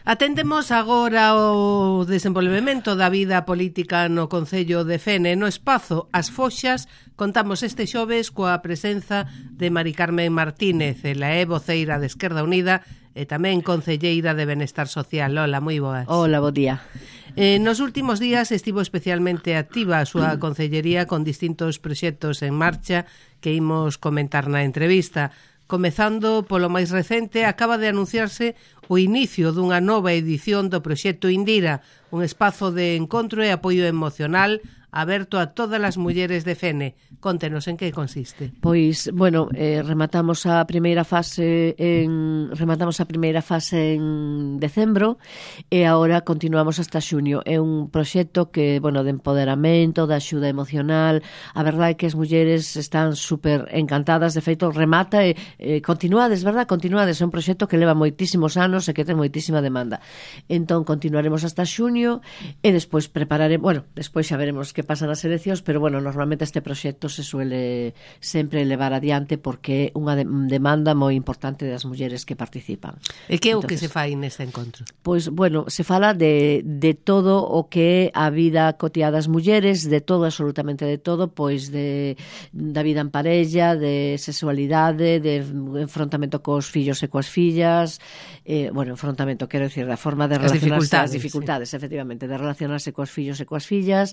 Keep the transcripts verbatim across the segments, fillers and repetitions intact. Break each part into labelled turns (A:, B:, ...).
A: Atendemos agora o desenvolvemento da vida política no Concello de Fene. No espazo As Foxas contamos este xoves coa presenza de Mari Carmen Martínez. Ela é voceira de Esquerda Unida e tamén concelleira de Benestar Social. Hola, moi boas.
B: Hola, bo día.
A: Eh, nos últimos días estivo especialmente activa a súa concellería con distintos proxectos en marcha que imos comentar na entrevista. Comezando polo máis recente, acaba de anunciarse o inicio dunha nova edición do proxecto Indira, un espazo de encontro e apoio emocional aberto a todas as mulleres de Fene. Contenos en que consiste.
B: Pois, bueno, eh, rematamos a primeira fase en rematamos a primeira fase en decembro e agora continuamos hasta xuño. É un proxecto que, bueno, de empoderamento, de axuda emocional. A verdade é que as mulleres están super encantadas, de feito remata e eh, continuades, verdad? Continuades, é un proxecto que leva moitísimos anos e que ten moitísima demanda. Entón continuaremos hasta xuño e despois prepararemos, bueno, despois xa veremos que pasan as eleccións, pero bueno, normalmente este proxecto se suele sempre levar adiante porque é unha de demanda moi importante das mulleres que participan.
A: E que é o que se fai neste encontro?
B: Pois, bueno, se fala de, de todo o que é a vida cotiá das mulleres, de todo, absolutamente de todo, pois de da vida en parella, de sexualidade, de enfrontamento cos fillos e coas fillas, eh, bueno, enfrontamento, quero dicir, da forma de relacionarse, as dificultades, as dificultades sí. efectivamente, de relacionarse coas fillos e coas fillas,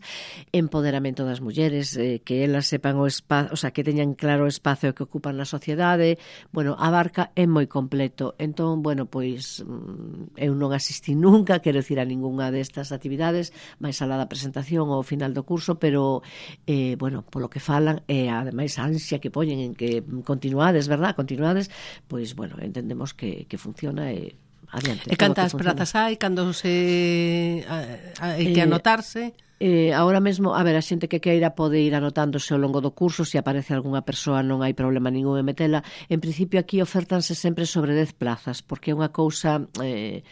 B: empoderamento das mulleres, eh, que elas sepan o espazo, o sea, que teñan claro o espazo que ocupan na sociedade. Bueno, abarca é moi completo. Entón, bueno, pois eu non asistí nunca, quero dicir, a ningunha destas actividades, máis alá da presentación ao final do curso, pero eh, bueno, polo que falan e ademais a ansia que poñen en que continuades, verdad? Continuades, pois bueno, entendemos que, que funciona e adiante.
A: E cantas prazas hai, cando se hai que anotarse?
B: Eh, ahora mesmo, a ver, a xente que queira pode ir anotándose ao longo do curso, se aparece algunha persoa non hai problema ningún en metela. En principio aquí ofértanse sempre sobre dez plazas, porque é unha cousa eh,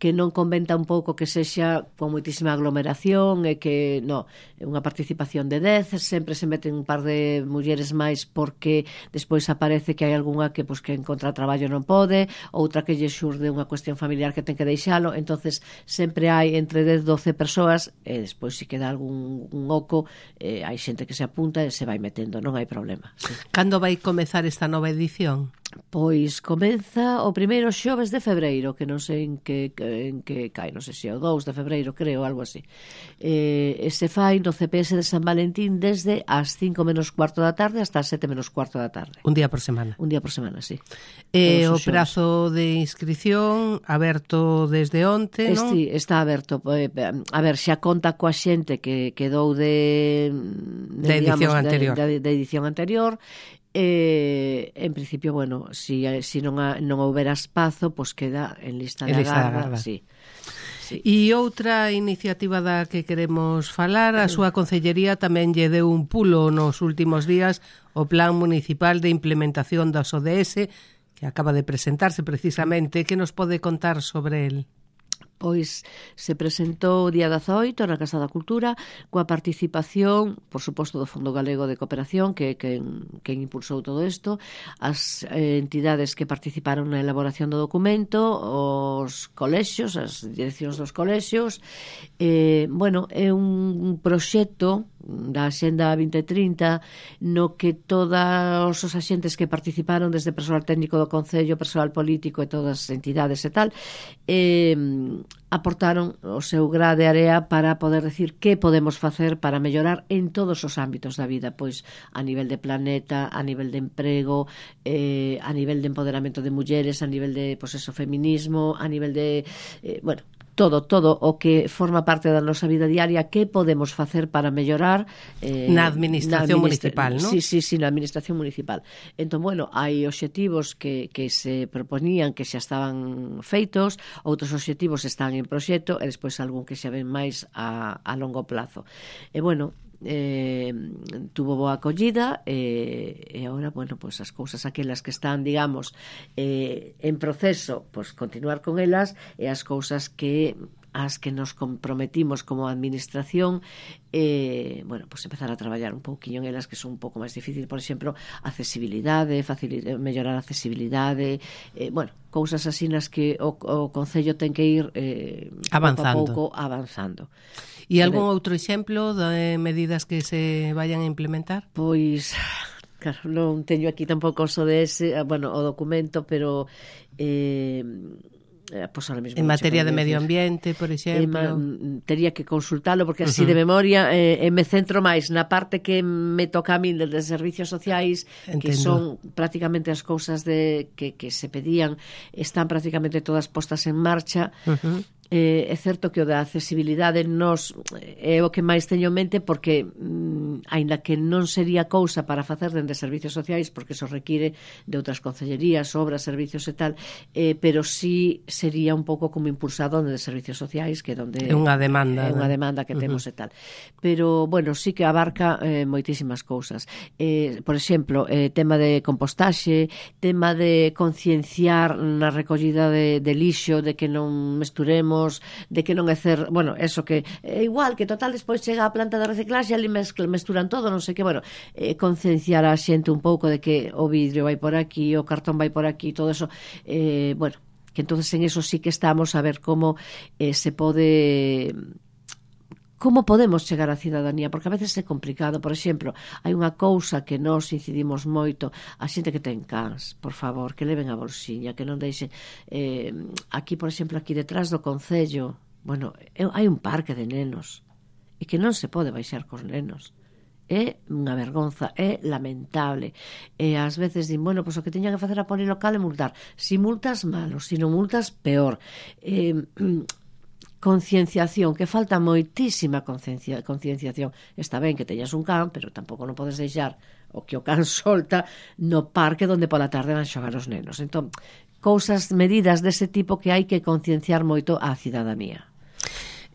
B: que non conventa un pouco que sexa con moitísima aglomeración e que, no, é unha participación de dez, sempre se meten un par de mulleres máis porque despois aparece que hai algunha que, pues, que encontra traballo non pode, outra que lle xurde unha cuestión familiar que ten que deixalo, entonces sempre hai entre dez, doce persoas e despois se queda algún un oco, eh, hai xente que se apunta e se vai metendo, non hai problema. Sí.
A: Cando vai comezar esta nova edición?
B: Pois comeza o primeiro xoves de febreiro, que non sei en que, en que cai, non sei se é o dous de febreiro, creo, algo así. Eh, e se fai no C P S de San Valentín desde as cinco menos cuarto da tarde hasta as sete menos cuarto da tarde.
A: Un día por semana?
B: Un día por semana, sí.
A: E o prazo de inscripción aberto desde onte, non?
B: Sí, está aberto. A ver, xa conta coa xente que quedou de, de,
A: de edición
B: digamos,
A: anterior.
B: De, de, de edición anterior. Eh, en principio, bueno, si, si non, ha, non houbera espazo, pois queda en lista de agarda, sí. Sí.
A: E outra iniciativa da que queremos falar, a súa concellería tamén lle deu un pulo nos últimos días o Plan Municipal de Implementación das O D S, que acaba de presentarse precisamente. Que nos pode contar sobre el?
B: Pois se presentou o día dezaoito na Casa da Cultura coa participación, por suposto, do Fondo Galego de Cooperación, que, que, que impulsou todo isto, as eh, entidades que participaron na elaboración do documento, os colexios, as direccións dos colexios. Eh, bueno, é un proxecto da Axenda vinte trinta no que todos os axentes que participaron, desde persoal técnico do Concello, persoal político e todas as entidades e tal, eh, aportaron o seu gra de area para poder decir que podemos facer para mellorar en todos os ámbitos da vida, pois a nivel de planeta, a nivel de emprego, eh, a nivel de empoderamento de mulleres, a nivel de, pois eso, feminismo, a nivel de, eh, bueno, todo, todo o que forma parte da nosa vida diaria, que podemos facer para mellorar
A: eh, na administración na administra municipal, non?
B: Sí, sí, sí, na administración municipal. Entón, bueno, hai obxectivos que, que se proponían que xa estaban feitos, outros obxectivos están en proxecto e despois algún que xa ven máis a, a longo plazo. E, bueno, eh, tuvo boa acollida e, e agora, bueno, pues as cousas aquelas que están, digamos, eh, en proceso, pues continuar con elas, e as cousas que ás que nos comprometimos como administración, eh, bueno, pues empezar a traballar un pouquiño en elas que son un pouco máis difícil, por exemplo, accesibilidade, facilitar, mellorar a accesibilidade, eh, bueno, cousas así nas que o, o Concello ten que ir eh,
A: avanzando.
B: pouco a pouco avanzando.
A: E algún outro exemplo de medidas que se vayan a implementar?
B: Pois, claro, non teño aquí tampouco o de ese, bueno, o documento, pero eh, pues ahora mismo
A: en materia de medio ambiente, por exemplo,
B: eh, tería que consultalo porque así
A: uh-huh.
B: de memoria eh, me centro máis na parte que me toca a mí de servicios sociais. Entendo. Que son prácticamente as cousas de que, que se pedían, están prácticamente todas postas en marcha. Uh-huh. Eh, é certo que o da accesibilidade nos é o que máis teño en mente porque mm, aínda que non sería cousa para facer dende servicios sociais porque eso require de outras concellerías, obras, servicios e tal, eh, pero sí sería un pouco como impulsado dende servicios sociais, que donde
A: é unha demanda,
B: é unha demanda que temos uh-huh. e tal. Pero bueno, sí que abarca eh, moitísimas cousas. Eh, por exemplo, eh, tema de compostaxe, tema de concienciar na recollida de, de lixo, de que non mesturemos, de que non é cer, bueno, eso que é igual, que total despois chega a planta de reciclaxe e ali mesturan todo, non sei que, bueno, eh, concienciar a xente un pouco de que o vidrio vai por aquí, o cartón vai por aquí, todo eso, eh, bueno, que entonces en eso sí que estamos a ver como eh, se pode... Como podemos chegar á cidadanía? Porque a veces é complicado. Por exemplo, hai unha cousa que nós incidimos moito, a xente que ten cans, por favor, que leven a bolsiña, que non deixe eh, aquí, por exemplo, aquí detrás do Concello, bueno, hai un parque de nenos e que non se pode baixar cos nenos. É unha vergonza, é lamentable. E ás veces din, bueno, pois o que teña que facer a polilocal é multar. Si multas, malo, si non multas, peor. Eh, concienciación, que falta moitísima conciencia, concienciación. Está ben que teñas un can, pero tampouco non podes deixar o que o can solta no parque onde pola tarde van xogar os nenos. Entón, cousas, medidas dese tipo que hai que concienciar moito á cidadanía.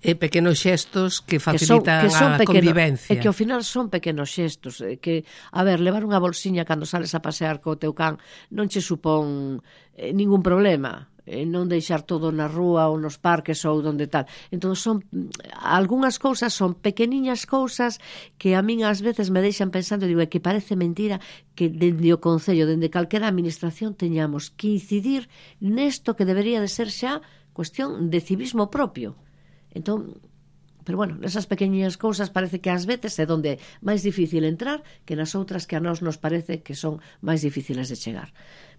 A: E pequenos xestos que facilitan que son, que son a pequeno, convivencia.
B: E que ao final son pequenos xestos. Que, a ver, levar unha bolsiña cando sales a pasear co teu can non che supón eh, ningún problema. Eh, non deixar todo na rúa ou nos parques ou donde tal. Entón son algunhas cousas, son pequeniñas cousas que a min ás veces me deixan pensando, digo, é que parece mentira que dende o Concello, dende calquera administración teñamos que incidir nesto que debería de ser xa cuestión de civismo propio. Entón, pero bueno, nesas pequeniñas cousas parece que ás veces é donde máis difícil entrar que nas outras que a nós nos parece que son máis difíciles de chegar.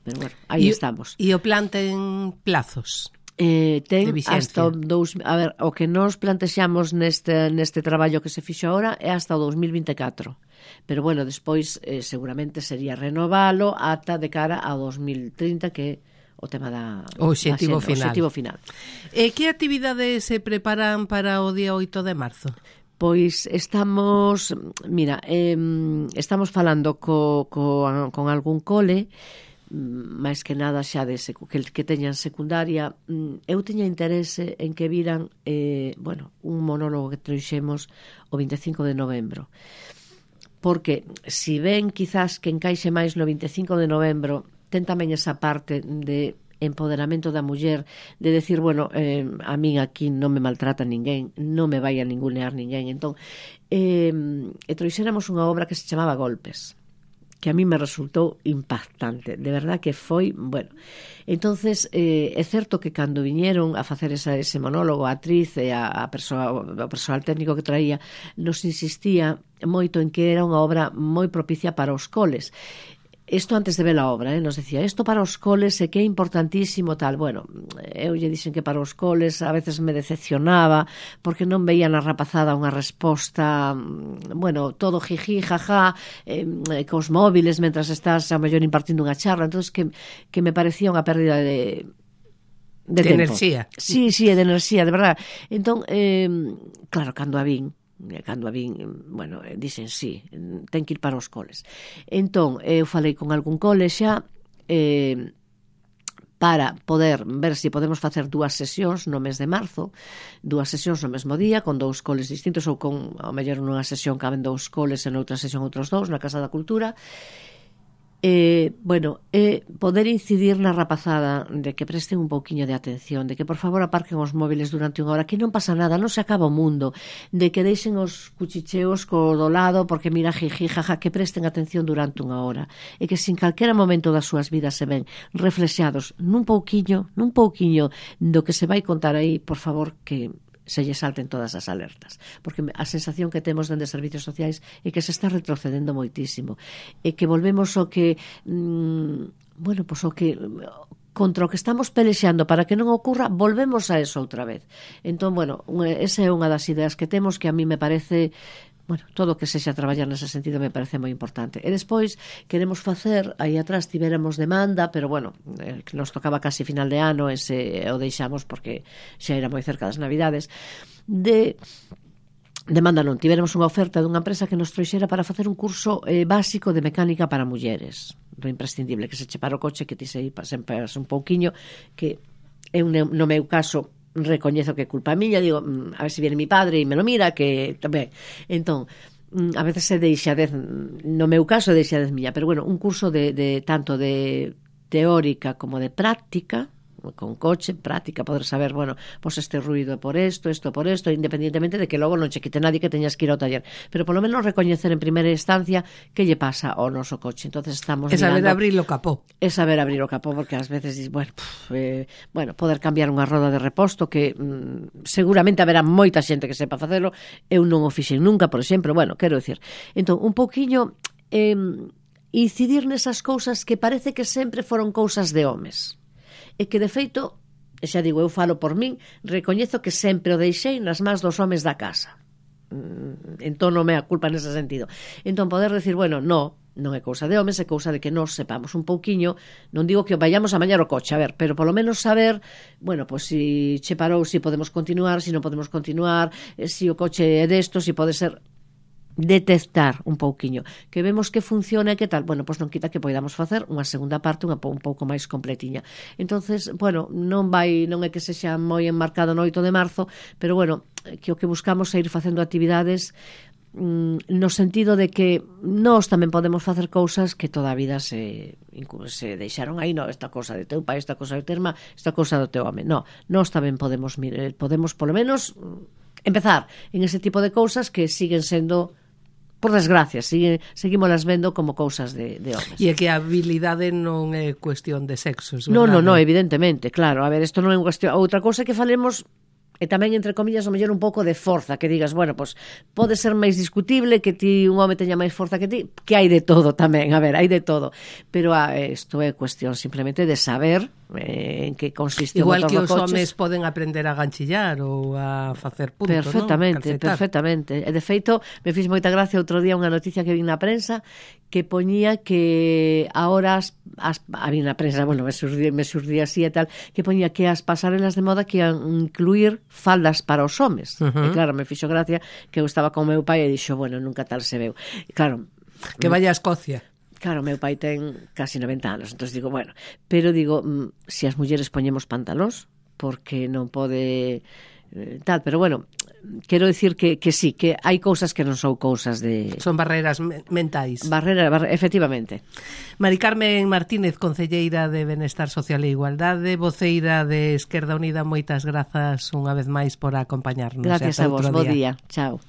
B: Pero bueno, aí e, estamos.
A: E o plan ten plazos?
B: Eh, ten hasta dous, a ver, o que nos plantexamos neste, neste traballo que se fixo agora é hasta o dos mil vinte e catro. Pero bueno, despois eh, seguramente sería renovalo ata de cara ao dos mil trinta, que o tema da
A: o obxectivo final.
B: Obxectivo final.
A: E que actividades se preparan para o día oito de marzo?
B: Pois estamos, mira, eh, estamos falando co, co, con algún cole, máis que nada xa de secu, que, que teñan secundaria. Eu teña interese en que viran eh, bueno, un monólogo que trouxemos o vinte e cinco de novembro, porque si ven quizás que encaixe máis no vinte e cinco de novembro, ten tamén esa parte de empoderamento da muller, de decir, bueno, eh, a min aquí non me maltrata ninguén, non me vai a ningunear ninguén. Entón, eh, e trouxéramos unha obra que se chamaba Golpes, que a mí me resultou impactante, de verdad que foi, bueno. Entonces, eh, é certo que cando viñeron a facer esa, ese monólogo, a atriz e a, a persoa, o persoal técnico que traía, nos insistía moito en que era unha obra moi propicia para os coles. Isto antes de ver a obra, eh, nos decía, isto para os coles é que é importantísimo, tal. Bueno, eu lle dixen que para os coles a veces me decepcionaba porque non veía na rapazada unha resposta, bueno, todo jiji, jaja, eh, cos móviles mentras estás a mellor impartindo unha charla. Entón, que, que me parecía unha pérdida de de,
A: de
B: tempo.
A: enerxía.
B: Sí, sí, de enerxía, de verdad. Entón, eh, claro, cando a vin, cando a vin, bueno, dixen sí, ten que ir para os coles. Entón, eu falei con algún cole xa eh, para poder ver se si podemos facer dúas sesións no mes de marzo, dúas sesións no mesmo día, con dous coles distintos, ou con, ao mellor nunha sesión caben dous coles e noutra sesión outros dous, na Casa da Cultura. Eh, bueno, eh, poder incidir na rapazada de que presten un pouquiño de atención, de que por favor aparquen os móviles durante unha hora, que non pasa nada, non se acaba o mundo, de que deixen os cuchicheos co do lado, porque mira, jiji, jaja, que presten atención durante unha hora, e que se en calquera momento das súas vidas se ven reflexados nun pouquiño, nun pouquiño do que se vai contar aí, por favor, que se lle salten todas as alertas, porque a sensación que temos dende servicios sociais é que se está retrocedendo moitísimo, e que volvemos ao que mmm, bueno, pois o que contra o que estamos pelexando para que non ocurra, volvemos a eso outra vez. Entón, bueno, esa é unha das ideas que temos, que a mí me parece, bueno, todo o que sexa traballar nese sentido me parece moi importante. E despois queremos facer, aí atrás tivéramos demanda, pero bueno, eh, que nos tocaba casi final de ano, ese o deixamos porque xa era moi cerca das Navidades, de demanda non, tivéramos unha oferta dunha empresa que nos trouxera para facer un curso eh, básico de mecánica para mulleres, do imprescindible, que se che para o coche, que ti se sempre un pouquiño, que é un, no meu caso recoñezo que é culpa miña, digo, a ver se viene mi padre e me lo mira, que tamén. Entón, a veces se deixadez, no meu caso deixadez miña, pero bueno, un curso de, de tanto de teórica como de práctica, con coche, práctica, poder saber, bueno, pues este ruido é por esto, esto por esto, independientemente de que logo non che quite nadie que teñas que ir ao taller, pero polo menos recoñecer en primeira instancia que lle pasa ao noso coche. Entonces estamos
A: é saber
B: mirando,
A: abrir o capó.
B: É saber abrir o capó, porque ás veces dis, bueno, pff, eh, bueno, poder cambiar unha roda de reposto que mm, seguramente haberá moita xente que sepa facelo, eu non o fixen nunca, por exemplo, bueno, quero dicir. Entón, un pouquiño eh, incidir nesas cousas que parece que sempre foron cousas de homes. E que, de feito, xa digo, eu falo por min, recoñezo que sempre o deixei nas mans dos homes da casa. Entón non me a culpa nese sentido. Entón poder decir, bueno, no, non é cousa de homes, é cousa de que nos sepamos un pouquiño, non digo que vayamos a mañar o coche, a ver, pero polo menos saber, bueno, pois pues, si che parou, si podemos continuar, si non podemos continuar, si o coche é desto, si pode ser... detectar un pouquiño, que vemos que funciona e que tal, bueno, pois non quita que poidamos facer unha segunda parte unha, un pouco máis completiña. Entonces, bueno, non vai, non é que sexa moi enmarcado no oito de marzo, pero bueno, que o que buscamos é ir facendo actividades mm, no sentido de que nós tamén podemos facer cousas que toda a vida se, se deixaron aí, no, esta cosa de teu pai, esta cosa de terma, esta cosa do teu home, no, nós tamén podemos, podemos polo menos empezar en ese tipo de cousas que siguen sendo, por desgracia, sigue, seguimos vendo como cousas de, de homes.
A: E é que a habilidade non é cuestión de sexos, verdade?
B: Non, non, non, evidentemente, claro. A ver, isto non é unha cuestión... Outra cousa que falemos... E tamén, entre comillas, o mellor un pouco de forza, que digas, bueno, pues, pode ser máis discutible que ti un home teña máis forza que ti, que hai de todo tamén, a ver, hai de todo. Pero ah, isto é cuestión simplemente de saber eh, en que consiste o motor do coches.
A: Igual que os homes poden aprender a ganchillar ou a facer punto,
B: perfectamente,
A: non?
B: Perfectamente. E de feito, me fiz moita gracia outro día unha noticia que vi na prensa que poñía que ahora as, as, había na prensa, bueno, me surdía, me surdía así e tal, que poñía que as pasarelas de moda que ian incluir faldas para os homes. Uh -huh. E claro, me fixo gracia que eu estaba con meu pai e dixo, bueno, nunca tal se veu. E claro,
A: que vaya a Escocia.
B: Claro, meu pai ten casi noventa anos, entón digo, bueno, pero digo, se si as mulleres poñemos pantalóns, porque non pode eh, tal, pero bueno, quero dicir que, que sí, que hai cousas que non son cousas de...
A: Son barreras mentais.
B: Barreras, barre, efectivamente.
A: Mari Carmen Martínez, concelleira de Benestar Social e Igualdade, voceira de Esquerda Unida, moitas grazas unha vez máis por acompañarnos.
B: Gracias a vos, bo día. Chao.